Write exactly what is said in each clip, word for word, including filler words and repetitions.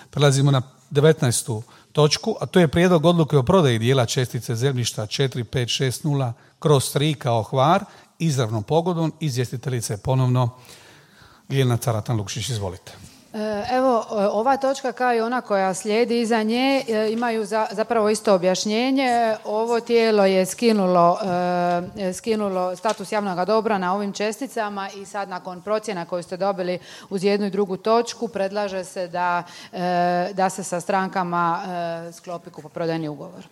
Prelazimo na devetnaestu točku, a to je prijedlog odluke o prodaji dijela čestice zemljišta četiri pet šest nula kroz tri kao Hvar, izravnom pogodom. Izvjestiteljica je ponovno Ljiljana Caratan-Lukšić. Izvolite. Evo, ova točka kao i ona koja slijedi iza nje imaju za, zapravo isto objašnjenje. Ovo tijelo je skinulo, e, skinulo status javnog dobra na ovim česticama i sad nakon procjena koju ste dobili uz jednu i drugu točku predlaže se da, e, da se sa strankama e, sklopi kupoprodajni ugovor.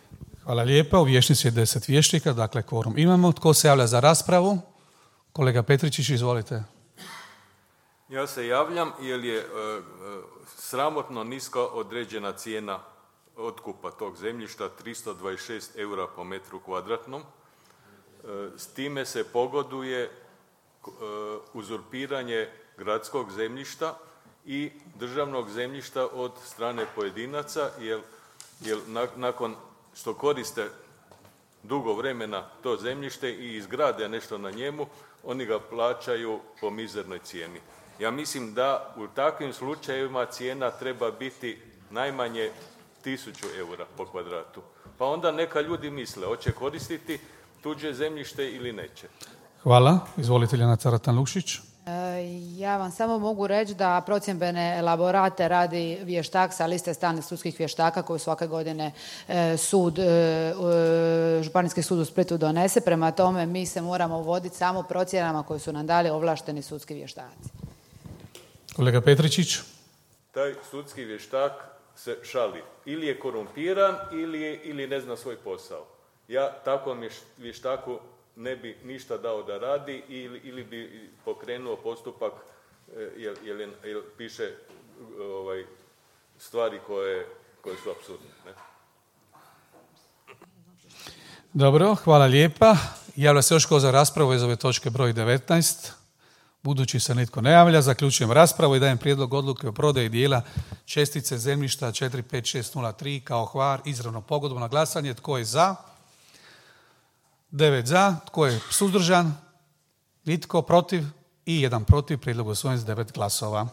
Hvala lijepa. U vijećnici je deset vijećnika, dakle kvorum imamo. Tko se javlja za raspravu? Kolega Petričić, izvolite. Ja se javljam jer je e, sramotno niska određena cijena otkupa tog zemljišta, tristo dvadeset šest eura po metru kvadratnom. E, s time se pogoduje e, uzurpiranje gradskog zemljišta i državnog zemljišta od strane pojedinaca, jer, jer na, nakon što koriste dugo vremena to zemljište i izgrade nešto na njemu, oni ga plaćaju po mizernoj cijeni. Ja mislim da u takvim slučajevima cijena treba biti najmanje tisuću eura po kvadratu. Pa onda neka ljudi misle, hoće koristiti tuđe zemljište ili neće. Hvala. Izvolite, Ljiljana Caratan-Lukšić. Ja vam samo mogu reći da procjendbene elaborate radi vještak sa liste stalnih sudskih vještaka koju svake godine sud, Županijski sud u Splitu donese. Prema tome mi se moramo voditi samo procjenama koje su nam dali ovlašteni sudski vještaci. Kolega Petričić. Taj sudski vještak se šali. Ili je korumpiran ili, je, ili ne zna svoj posao. Ja takvom vještaku ne bi ništa dao da radi ili, ili bi pokrenuo postupak jer, jer, jer piše ovaj, stvari koje, koje su apsurdne. Ne? Dobro, hvala lijepa. Javlja se još ko za raspravu iz ove točke broj devetnaest. Budući se nitko ne javlja, zaključujem raspravu i dajem prijedlog odluke o prodaji dijela čestice zemljišta četiri pet šest nula tri kao Hvar, izravno pogodbom na glasanje. Tko je za? Devet za. Tko je suzdržan? Nitko. Protiv? I jedan protiv. Prijedlog usvojen s devet glasova.